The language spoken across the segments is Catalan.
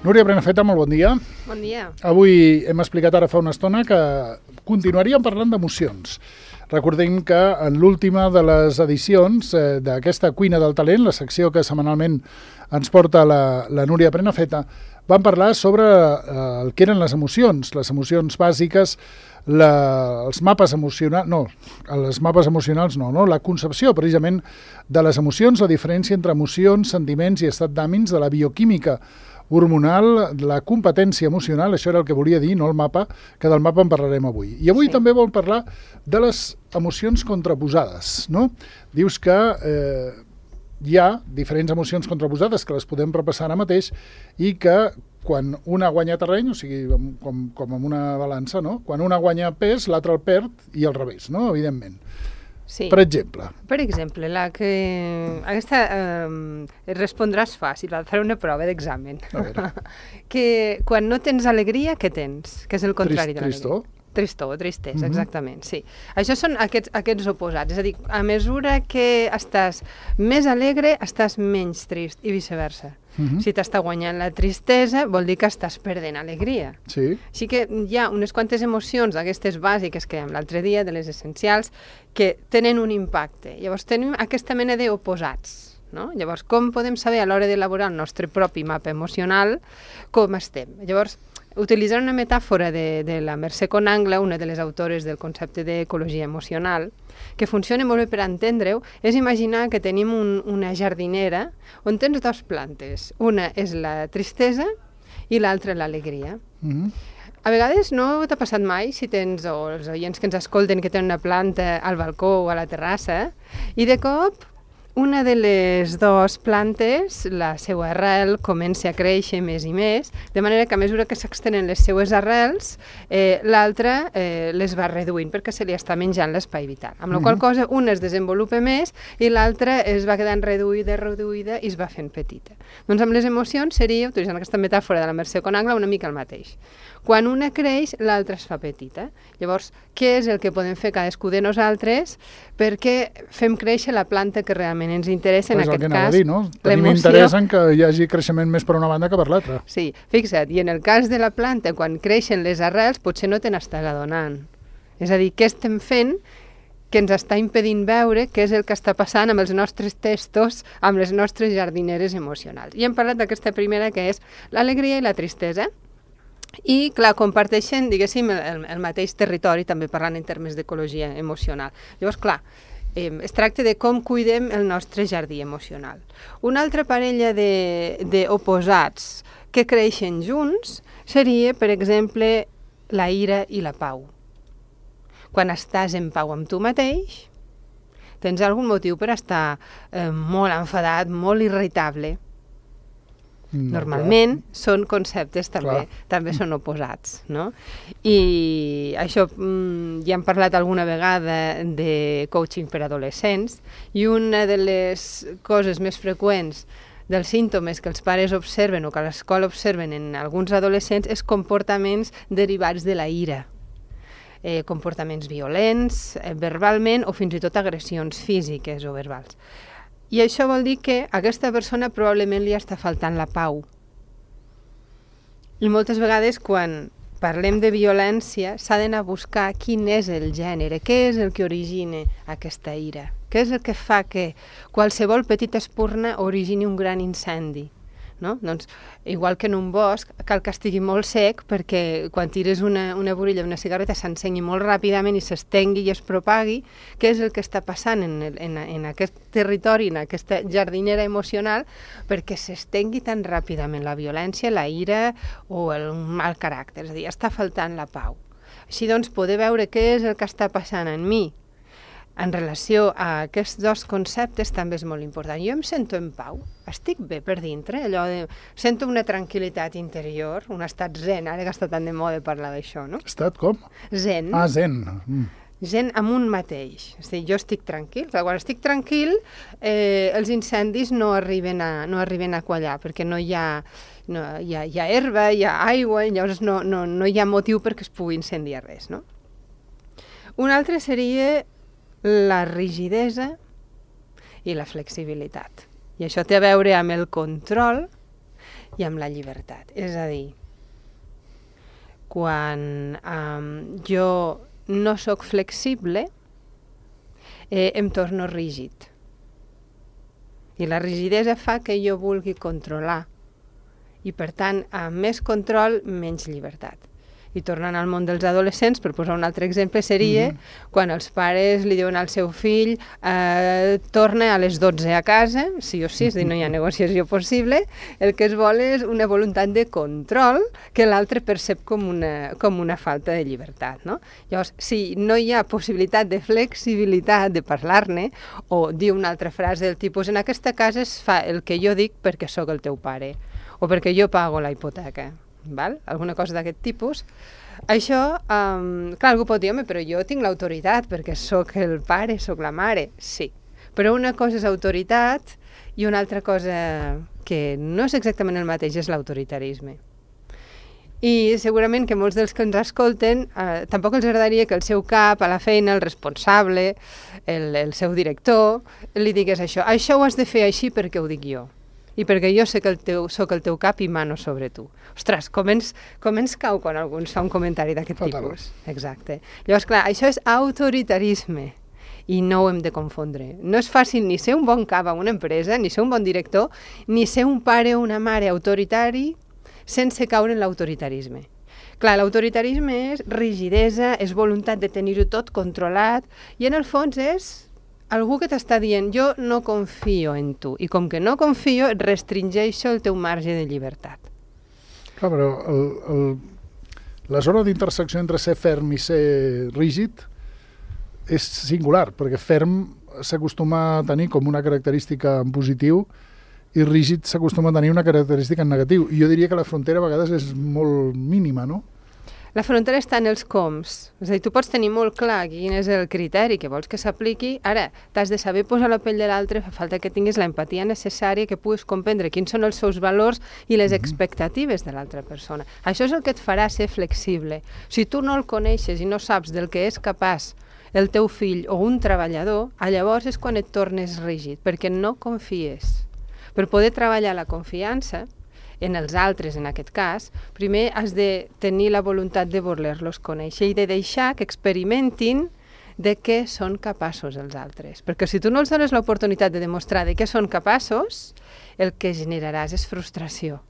Núria Prenafeta, molt bon dia. Bon dia. Avui hem explicat ara fa una estona que continuaríem parlant d'emocions. Recordem que en l'última de les edicions d'aquesta Cuina del Talent, la secció que setmanalment ens porta la Núria Prenafeta, vam parlar sobre el que eren les emocions bàsiques, els mapes emocionals, la concepció precisament de les emocions, la diferència entre emocions, sentiments i estat d'ànims, de la bioquímica hormonal, la competència emocional, això era el que volia dir, no el mapa, que del mapa en parlarem avui. I avui també vol parlar de les emocions contraposades, no? Dius que hi ha diferents emocions contraposades que les podem repassar ara mateix i que quan una guanya terreny, o sigui, com amb una balança, no? Quan una guanya pes, l'altra el perd i al revés, no? Evidentment. Sí. Per exemple, aquesta respondràs fàcil, faré una prova d'examen. Que quan no tens alegria, què tens? Que és el contrari de l'alegria. Tristor? Tristor o tristesa, exactament, sí. Això són aquests oposats, és a dir, a mesura que estàs més alegre, estàs menys trist i viceversa. Si t'està guanyant la tristesa, vol dir que estàs perdent alegria. Sí. Així que hi ha unes quantes emocions, aquestes bàsiques que dèiem l'altre dia, de les essencials, que tenen un impacte. Llavors tenim aquesta mena d'oposats. No? Llavors, com podem saber a l'hora d'elaborar el nostre propi mapa emocional com estem? Llavors, utilitzant una metàfora de la Mercè Conangle, una de les autores del concepte d'ecologia emocional, que funciona molt bé per entendre-ho, és imaginar que tenim una jardinera on tens dues plantes. Una és la tristesa i l'altra l'alegria. A vegades no t'ha passat mai, si tens, o els oients que ens escolten que tenen una planta al balcó o a la terrassa, i de cop una de les dues plantes, la seva arrel, comença a créixer més i més, de manera que a mesura que s'extenen les seues arrels, l'altra les va reduint perquè se li està menjant l'espai vital. Amb la qual cosa, una es desenvolupa més i l'altra es va quedant reduïda i es va fent petita. Doncs amb les emocions seria, utilitzant aquesta metàfora de la Mercè Conangle, una mica el mateix. Quan una creix, l'altra es fa petita. Llavors, què és el que podem fer cadascú de nosaltres perquè fem créixer la planta que realment ens interessa, en aquest cas, l'emoció. Tenim interès en que hi hagi creixement més per una banda que per l'altra. Sí, fixa't, i en el cas de la planta, quan creixen les arrels, potser no te n'estàs adonant. És a dir, què estem fent que ens està impedint veure què és el que està passant amb els nostres testos, amb les nostres jardineres emocionals. I hem parlat d'aquesta primera, que és l'alegria i la tristesa, i, clar, comparteixen, diguéssim, el mateix territori, també parlant en termes d'ecologia emocional. Llavors, clar, es tracta de com cuidem el nostre jardí emocional. Una altra parella d'oposats que creixen junts seria, per exemple, la ira i la pau. Quan estàs en pau amb tu mateix, tens algun motiu per estar molt enfadat, molt irritable. Normalment són conceptes també són oposats, no? I això ja hem parlat alguna vegada de coaching per adolescents, i una de les coses més freqüents dels símptomes que els pares observen o que a l'escola observen en alguns adolescents és comportaments derivats de la ira. Comportaments violents, verbalment, o fins i tot agressions físiques o verbals. I això vol dir que a aquesta persona probablement li està faltant la pau. I moltes vegades quan parlem de violència s'ha d'anar a buscar quin és el gènere, què és el que origina aquesta ira, què és el que fa que qualsevol petita espurna origini un gran incendi. No? Doncs, igual que en un bosc, cal que estigui molt sec perquè quan tires una burilla d'una cigarreta s'encengui molt ràpidament i s'estengui i es propagui. Què és el que està passant en aquest territori, en aquesta jardinera emocional, perquè s'estengui tan ràpidament la violència, la ira o el mal caràcter? És a dir, està faltant la pau. Així doncs, poder veure què és el que està passant en mi en relació a aquests dos conceptes també és molt important. Jo em sento en pau, estic bé per dintre, sento una tranquil·litat interior, un estat zen, ara que està tan de moda parlar d'això, no? Estat com? Zen. Ah, zen. Zen amb un mateix. És a dir, jo estic tranquil. Quan estic tranquil, els incendis no arriben a quallar, perquè no hi ha herba, hi ha aigua, i llavors no hi ha motiu perquè es pugui incendiar res, no? Un altre seria la rigidesa i la flexibilitat. I això té a veure amb el control i amb la llibertat. És a dir, quan jo no sóc flexible, em torno rígid. I la rigidesa fa que jo vulgui controlar. I, per tant, amb més control, menys llibertat. I tornant al món dels adolescents, per posar un altre exemple, seria quan els pares li diuen al seu fill torna a les 12 a casa, sí o sí, és dir, no hi ha negociació possible, el que es vol és una voluntat de control que l'altre percep com una falta de llibertat, no? Llavors, si no hi ha possibilitat de flexibilitat, de parlar-ne, o dir una altra frase del tipus, en aquesta casa es fa el que jo dic perquè sóc el teu pare, o perquè jo pago la hipoteca, val? Alguna cosa d'aquest tipus. Això, clar, algú pot dir, home, però jo tinc l'autoritat perquè sóc el pare, sóc la mare. Sí, però una cosa és autoritat i una altra cosa que no és exactament el mateix és l'autoritarisme. I segurament que molts dels que ens escolten tampoc els agradaria que el seu cap, a la feina, el responsable, el seu director, li digués això. Això ho has de fer així perquè ho dic jo. I perquè jo sé que soc el teu cap i mano sobre tu. Ostres, com ens cau quan algú ens fa un comentari d'aquest tipus? Exacte. Llavors, clar, això és autoritarisme i no ho hem de confondre. No és fàcil ni ser un bon cap a una empresa, ni ser un bon director, ni ser un pare o una mare autoritari sense caure en l'autoritarisme. Clar, l'autoritarisme és rigidesa, és voluntat de tenir-ho tot controlat i en el fons és algú que t'està dient jo no confio en tu i com que no confio et restringeixo el teu marge de llibertat. Clar, però la zona d'intersecció entre ser ferm i ser rígid és singular, perquè ferm s'acostuma a tenir com una característica en positiu i rígid s'acostuma a tenir una característica en negatiu. I jo diria que la frontera a vegades és molt mínima, no? La frontera està en els coms. És a dir, tu pots tenir molt clar quin és el criteri que vols que s'apliqui. Ara, t'has de saber posar la pell de l'altre, fa falta que tinguis la empatia necessària, que puguis comprendre quins són els seus valors i les expectatives de l'altra persona. Això és el que et farà ser flexible. Si tu no el coneixes i no saps del que és capaç el teu fill o un treballador, llavors és quan et tornes rígid, perquè no confies. Per poder treballar la confiança, en els altres, en aquest cas, primer has de tenir la voluntat de voler-los conèixer i de deixar que experimentin de què són capaços els altres. Perquè si tu no els dones l'oportunitat de demostrar de què són capaços, el que generaràs és frustració.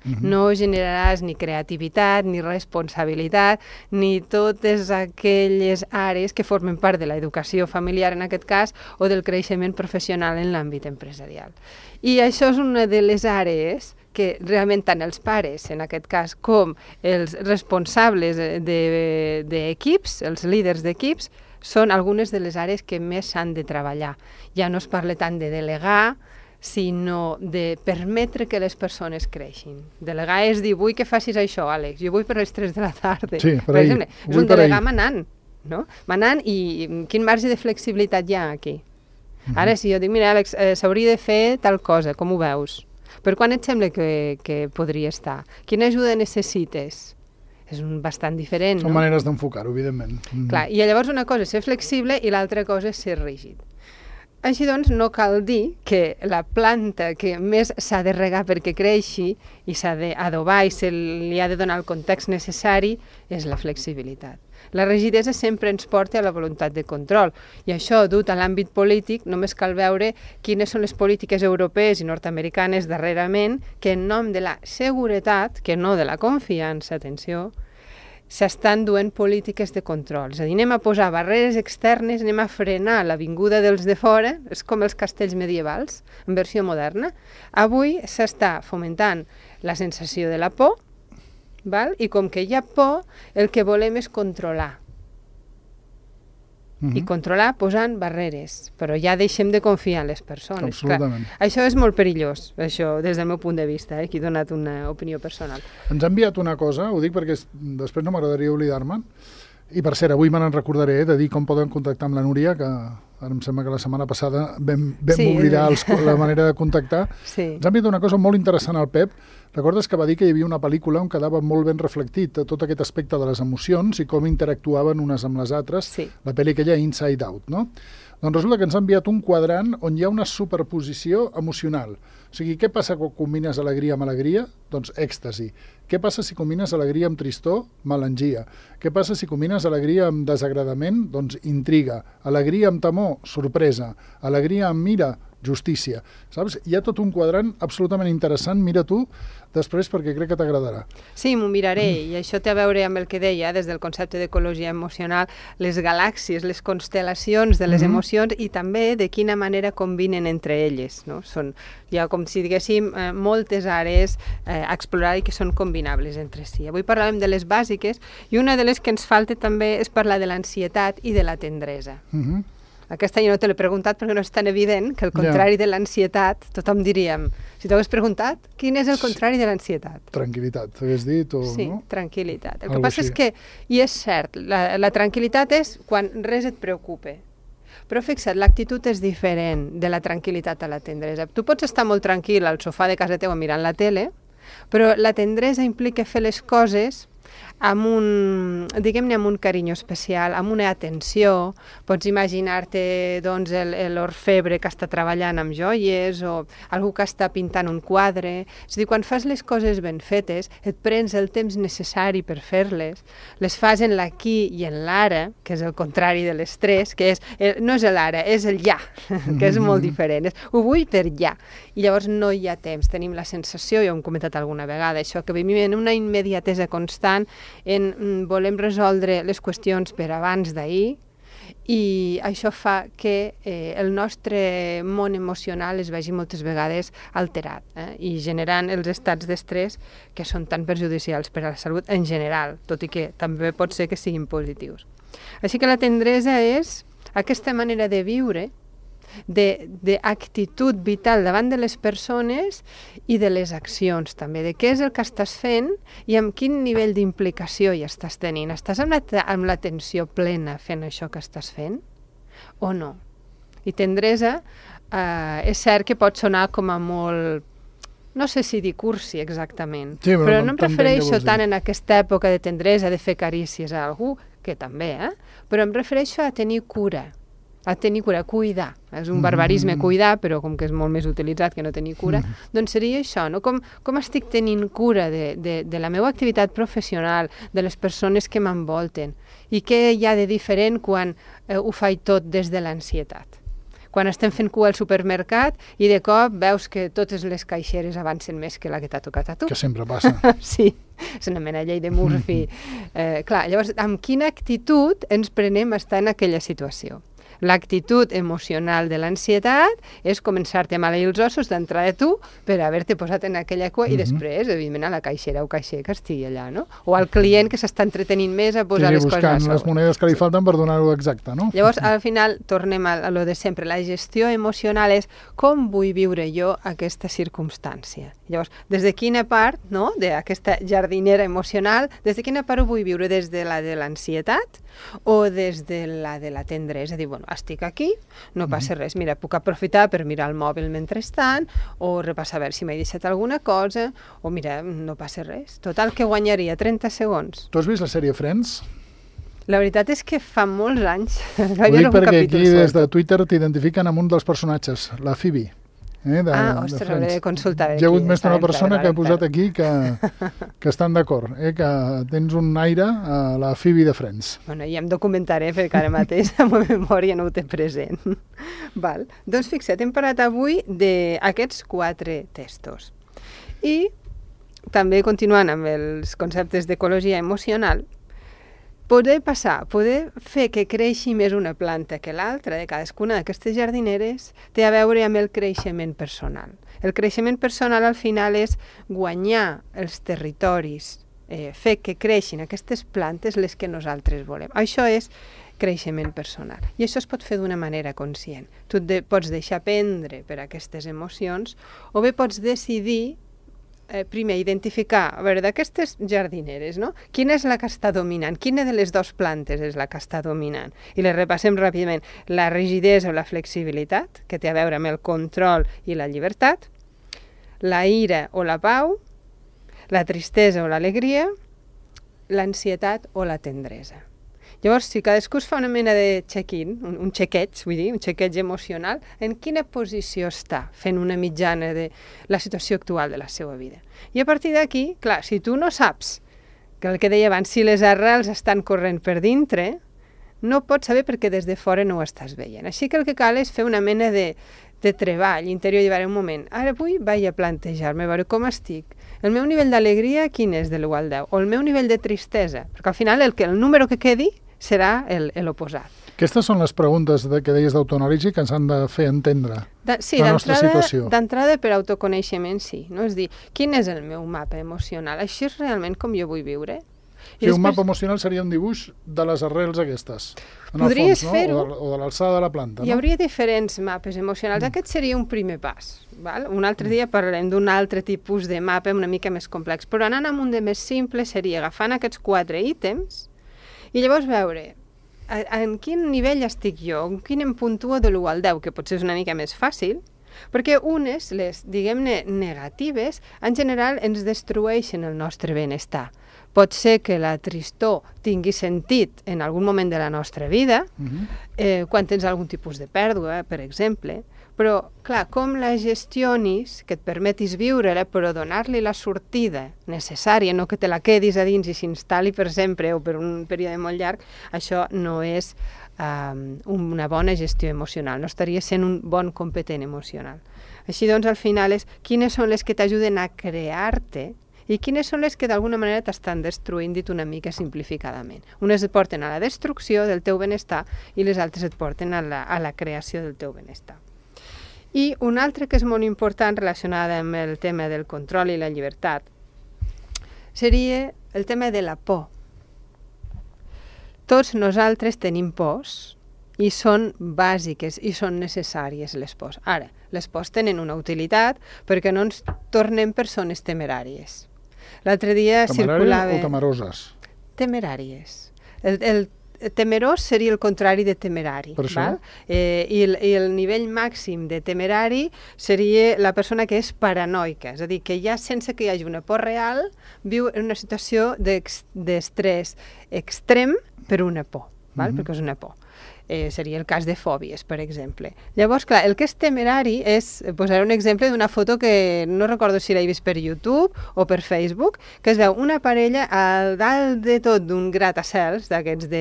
No generaràs ni creativitat, ni responsabilitat, ni totes aquelles àrees que formen part de l'educació familiar, en aquest cas, o del creixement professional en l'àmbit empresarial. I això és una de les àrees que realment tant els pares, en aquest cas, com els responsables d'equips, els líders d'equips, són algunes de les àrees que més s'han de treballar. Ja no es parla tant de delegar, sinó de permetre que les persones creixin. Delegar és dir, vull que facis això, Àlex, jo vull per les 3 de la tarda. Sí, per exemple, és un delegar manant, no? Manant i quin marge de flexibilitat hi ha aquí? Ara, si jo dic, mira, Àlex, s'hauria de fer tal cosa, com ho veus? Per quan et sembla que podria estar? Quina ajuda necessites? És bastant diferent, no? Són maneres d'enfocar-ho, evidentment. Clar, i llavors una cosa és ser flexible i l'altra cosa és ser rígid. Així doncs, no cal dir que la planta que més s'ha de regar perquè creixi i s'ha d'adobar i se li ha de donar el context necessari és la flexibilitat. La rigidesa sempre ens porta a la voluntat de control i això, dut a l'àmbit polític, només cal veure quines són les polítiques europees i nord-americanes darrerament que en nom de la seguretat, que no de la confiança, atenció, s'estan duent polítiques de control. És a dir, anem a posar barreres externes, anem a frenar la vinguda dels de fora, és com els castells medievals, en versió moderna. Avui s'està fomentant la sensació de la por, val? I com que hi ha por, el que volem és controlar. I controlar posant barreres, però ja deixem de confiar en les persones. Absolutament. Clar, això és molt perillós, això, des del meu punt de vista, aquí he donat una opinió personal. Ens ha enviat una cosa, ho dic perquè després no m'agradaria oblidar-me'n, i per cert, avui me n'en recordaré de dir com poden contactar amb la Núria, que ara em sembla que la setmana passada vam oblidar la manera de contactar. Sí. Ens ha enviat una cosa molt interessant al Pep. Recordes que va dir que hi havia una pel·lícula on quedava molt ben reflectit tot aquest aspecte de les emocions i com interactuaven unes amb les altres, Sí. la pel·li aquella Inside Out, no? Doncs resulta que ens ha enviat un quadrant on hi ha una superposició emocional. O sigui, què passa quan combines alegria amb alegria? Doncs èxtasi. Què passa si combines alegria amb tristor? Melangia. Què passa si combines alegria amb desagradament? Doncs intriga. Alegria amb temor? Sorpresa. Alegria amb ira? Justícia. Saps? Hi ha tot un quadrant absolutament interessant. Mira tu després perquè crec que t'agradarà. Sí, m'ho miraré, i això té a veure amb el que deia, des del concepte d'ecologia emocional, les galàxies, les constel·lacions de les emocions i també de quina manera combinen entre elles. No? Hi ha, com si diguéssim, moltes àrees a explorar i que són combinables entre si. Avui parlàvem de les bàsiques i una de les que ens falta també és parlar de l'ansietat i de la tendresa. Aquesta jo no te l'he preguntat perquè no és tan evident que el contrari de l'ansietat, tothom diríem, si t'ho hagués preguntat, quin és el contrari de l'ansietat? Tranquil·litat, t'hagués dit? Sí, tranquil·litat. El que passa és que, i és cert, la tranquil·litat és quan res et preocupa. Però fixa't, l'actitud és diferent de la tranquil·litat a la tendresa. Tu pots estar molt tranquil al sofà de casa teva mirant la tele, però la tendresa implica fer les coses amb diguem-ne, amb un carinyo especial, amb una atenció. Pots imaginar-te doncs, l'orfebre que està treballant amb joies o algú que està pintant un quadre. És a dir, quan fas les coses ben fetes, et prens el temps necessari per fer-les, les fas en l'aquí i en l'ara, que és el contrari de l'estrès, que no és l'ara, és el ja, que és molt diferent. Ho vull per ja. I llavors no hi ha temps. Tenim la sensació, ja ho hem comentat alguna vegada, això, que vivim en una immediatesa constant, volem resoldre les qüestions per abans d'ahir i això fa que el nostre món emocional es vegi moltes vegades alterat i generant els estats d'estrès que són tan perjudicials per a la salut en general, tot i que també pot ser que siguin positius. Així que la tendresa és aquesta manera de viure, d'actitud vital davant de les persones i de les accions també, de què és el que estàs fent i amb quin nivell d'implicació hi estàs tenint. Estàs amb l'atenció plena fent això que estàs fent o no? I tendresa és cert que pot sonar com a molt, no sé si dir cursi exactament, sí, però no em refereixo tant en aquesta època de tendresa, de fer carícies a algú, que també, però em refereixo a tenir cura, cuidar. És un barbarisme cuidar, però com que és molt més utilitzat que no tenir cura, doncs seria això, no? Com estic tenint cura de la meva activitat professional, de les persones que m'envolten, i què hi ha de diferent quan ho faig tot des de l'ansietat. Quan estem fent cua al supermercat i de cop veus que totes les caixeres avancen més que la que t'ha tocat a tu. Que sempre passa. Sí, és una mena llei de Murphy. Clar, llavors, amb quina actitud ens prenem a estar en aquella situació? L'actitud emocional de l'ansietat és començar-te a maleir els ossos d'entrada tu per haver-te posat en aquella cua i després, evidentment, a la caixera o caixer que estigui allà, no? O al client que s'està entretenint més a posar les coses a sobre. Buscant les monedes que li falten per donar-ho exacte, no? Llavors, al final, tornem a lo de sempre. La gestió emocional és com vull viure jo aquesta circumstància. Llavors, des de quina part, no?, d'aquesta jardinera emocional, des de quina part ho vull viure? Des de la de l'ansietat o des de la tendresa? És a dir, bueno, estic aquí, no passa res. Mira, puc aprofitar per mirar el mòbil mentrestant o repassar a veure si m'he deixat alguna cosa o mira, no passa res. Total, que guanyaria 30 segons. Tu has vist la sèrie Friends? La veritat és que fa molts anys. Ho dic perquè aquí des de Twitter t'identifiquen amb un dels personatges, la Phoebe. Ostres, hauré de consultar. Hi ha hagut més d'una persona que ha posat aquí que estan d'acord, que tens un aire a la Phoebe de Friends. Bueno, ja em documentaré perquè ara mateix la meva memòria no ho té present. Val. Doncs fixa't, hem parlat avui d'aquests 4 textos. I també continuant amb els conceptes d'ecologia emocional, poder fer que creixi més una planta que l'altra de cadascuna d'aquestes jardineres té a veure amb el creixement personal. El creixement personal al final és guanyar els territoris, fer que creixin aquestes plantes les que nosaltres volem. Això és creixement personal. I això es pot fer d'una manera conscient. Tu pots deixar prendre per aquestes emocions o bé pots decidir primer identificar, a veure, d'aquestes jardineres, no? Quina és la que està dominant? Quina de les 2 plantes és la que està dominant? I les repassem ràpidament. La rigidesa o la flexibilitat, que té a veure amb el control i la llibertat, la ira o la pau, la tristesa o l'alegria, l'ansietat o la tendresa. Llavors, si cadascú es fa una mena de check-in, un chequeig, vull dir, un chequeig emocional, en quina posició està fent una mitjana de la situació actual de la seva vida. I a partir d'aquí, clar, si tu no saps, que el que deia abans, si les arrels estan corrent per dintre, no pots saber perquè des de fora no ho estàs veient. Així que el que cal és fer una mena de treball interior i dir, un moment, ara vull vaig a plantejar-me, a veure com estic. El meu nivell d'alegria quin és de l'1 al 10? O el meu nivell de tristesa? Perquè al final el número que quedi serà l'oposat. Aquestes són les preguntes que deies d'autoanàlisi que ens han de fer entendre la nostra situació. D'entrada per autoconeixement sí, no? És dir, quin és el meu mapa emocional? Això és realment com jo vull viure? Sí, un mapa emocional seria un dibuix de les arrels aquestes, podries fer-ho, o de l'alçada de la planta. Hi hauria diferents mapes emocionals. Aquest seria un primer pas. Val? Un altre dia parlarem d'un altre tipus de mapa una mica més complex, però anant amb un de més simple seria agafant aquests 4 ítems i llavors veure en quin nivell estic jo, en quin em puntuo de l'1 al 10, que potser és una mica més fàcil, perquè unes, les, diguem-ne, negatives, en general ens destrueixen el nostre benestar. Pot ser que la tristor tingui sentit en algun moment de la nostra vida, quan tens algun tipus de pèrdua, per exemple, però, clar, com la gestionis, que et permetis viure-la, però donar-li la sortida necessària, no que te la quedis a dins i s'instal·li per sempre o per un període molt llarg, això no és una bona gestió emocional, no estaria sent un bon competent emocional. Així doncs, al final és quines són les que t'ajuden a crear-te i quines són les que d'alguna manera t'estan destruint, dit una mica simplificadament. Unes et porten a la destrucció del teu benestar i les altres et porten a la creació del teu benestar. I un altre que és molt important relacionada amb el tema del control i la llibertat seria el tema de la por. Tots nosaltres tenim pors i són bàsiques i són necessàries les pors. Ara, les pors tenen una utilitat perquè no ens tornem persones temeràries. L'altre dia circulava... Temeràries o temeroses? Temeràries. El temerós seria el contrari de temerari. Per això? Val? I el nivell màxim de temerari seria la persona que és paranoica, és a dir, que ja sense que hi hagi una por real viu en una situació d'estrès extrem per una por, val? Perquè és una por. Seria el cas de fòbies, per exemple. Llavors, clar, el que és temerari és, posaré un exemple d'una foto que no recordo si l'he vist per YouTube o per Facebook, que es veu una parella al dalt de tot d'un gratacels d'aquests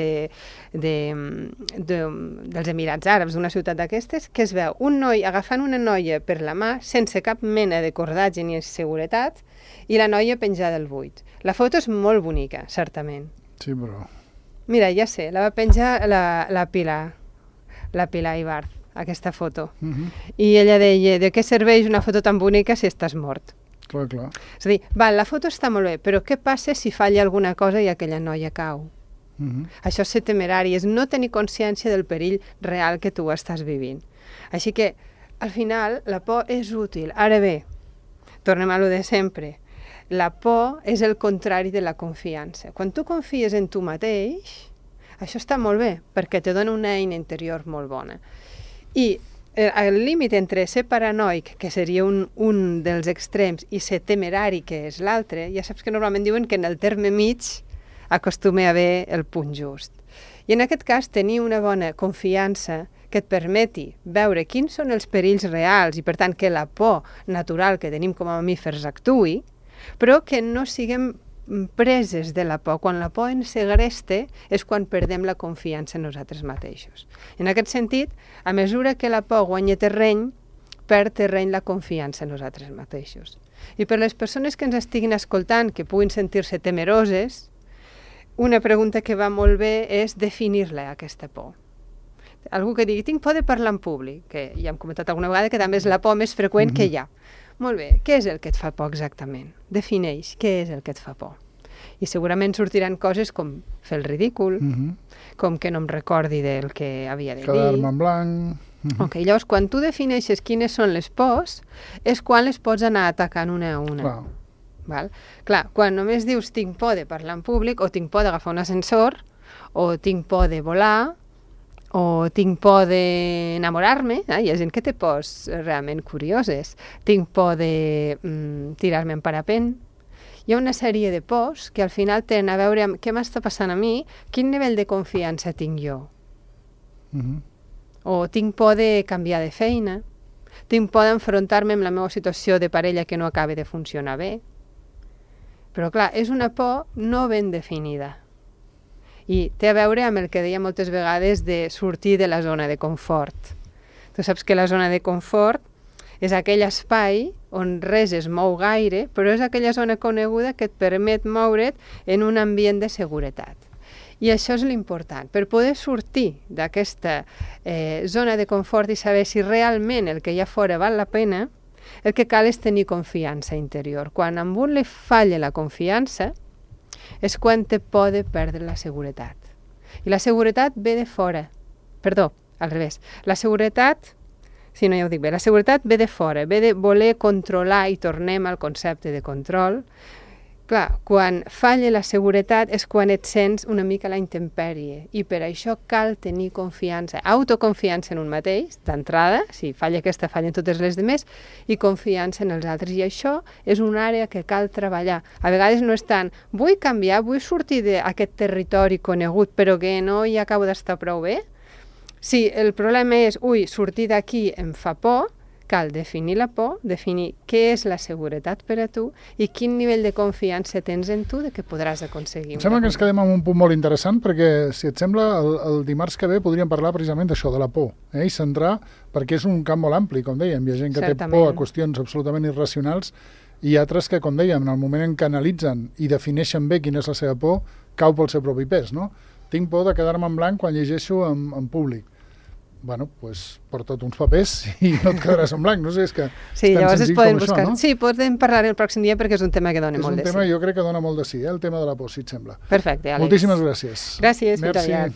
dels Emirats Àrabs, d'una ciutat d'aquestes, que es veu un noi agafant una noia per la mà sense cap mena de cordatge ni seguretat i la noia penjada al buit. La foto és molt bonica, certament. Sí, però... Mira, ja sé, la va penjar la Pilar Ibarz, aquesta foto. I ella deia, de què serveix una foto tan bonica si estàs mort? Clar, clar. És a dir, la foto està molt bé, però què passa si falla alguna cosa i aquella noia cau? Això és ser temerari, és no tenir consciència del perill real que tu estàs vivint. Així que, al final, la por és útil. Ara bé, tornem a lo de sempre. La por és el contrari de la confiança. Quan tu confies en tu mateix, això està molt bé, perquè te dona una eina interior molt bona. I el límit entre ser paranoic, que seria un dels extrems, i ser temerari, que és l'altre, ja saps que normalment diuen que en el terme mig acostuma a haver el punt just. I en aquest cas, tenir una bona confiança que et permeti veure quins són els perills reals i, per tant, que la por natural que tenim com a mamífers actuï, però que no siguem preses de la por. Quan la por ens segresta és quan perdem la confiança en nosaltres mateixos. En aquest sentit, a mesura que la por guanya terreny, perd terreny la confiança en nosaltres mateixos. I per les persones que ens estiguin escoltant, que puguin sentir-se temeroses, una pregunta que va molt bé és definir-la, aquesta por. Algú que digui, tinc por de parlar en públic, que ja hem comentat alguna vegada que també és la por més freqüent que hi ha. Molt bé, què és el que et fa por exactament? Defineix què és el que et fa por. I segurament sortiran coses com fer el ridícul, com que no em recordi del que havia de dir. Quedar-me en blanc... Ok, llavors, quan tu defineixes quines són les pors, és quan les pots anar atacant una a una. Clar. Val? Clar, quan només dius tinc por de parlar en públic, o tinc por d'agafar un ascensor, o tinc por de volar, o tinc por d'enamorar-me, hi ha gent que té pors realment curioses, tinc por de tirar-me en parapent, hi ha una sèrie de pors que al final tenen a veure amb què m'està passant a mi, quin nivell de confiança tinc jo. O tinc por de canviar de feina, tinc por d'enfrontar-me amb la meva situació de parella que no acaba de funcionar bé. Però clar, és una por no ben definida. I té a veure amb el que deia moltes vegades de sortir de la zona de confort. Tu saps que la zona de confort és aquell espai on res es mou gaire, però és aquella zona coneguda que et permet moure't en un ambient de seguretat. I això és l'important. Per poder sortir d'aquesta zona de confort i saber si realment el que hi ha fora val la pena, el que cal és tenir confiança interior. Quan a un li falla la confiança, és quan te pot perdre la seguretat. I la seguretat ve de fora. Perdó, al revés. La seguretat, si no ja ho dic bé, la seguretat ve de fora, ve de voler controlar i tornem al concepte de control. Clar, quan falla la seguretat és quan et sents una mica a la intempèrie i per això cal tenir confiança, autoconfiança en un mateix, d'entrada, si falla aquesta, fallen totes les demés, i confiança en els altres. I això és una àrea que cal treballar. A vegades no és tant, vull canviar, vull sortir d'aquest territori conegut, però que no hi acabo d'estar prou bé. Si el problema és, sortir d'aquí em fa por, cal definir la por, definir què és la seguretat per a tu i quin nivell de confiança tens en tu de que podràs aconseguir. Em sembla que ens quedem amb un punt molt interessant perquè, si et sembla, el dimarts que ve podríem parlar precisament d'això, de la por, i centrar, perquè és un camp molt ampli, com dèiem. Hi ha gent que té por a qüestions absolutament irracionals i altres que, com dèiem, en el moment en què analitzen i defineixen bé quina és la seva por, cau pel seu propi pes, no? Tinc por de quedar-me en blanc quan llegeixo en públic. Bueno, doncs porta't uns papers i no et quedaràs en blanc, no sé, és que sí, llavors es poden buscar. No? Sí, podem parlar el pròxim dia perquè és un tema que dona molt de sí. És un tema, jo crec que dona molt de sí, el tema de la por, si et sembla. Perfecte, Àlex. Moltíssimes gràcies. Gràcies, fins aviat.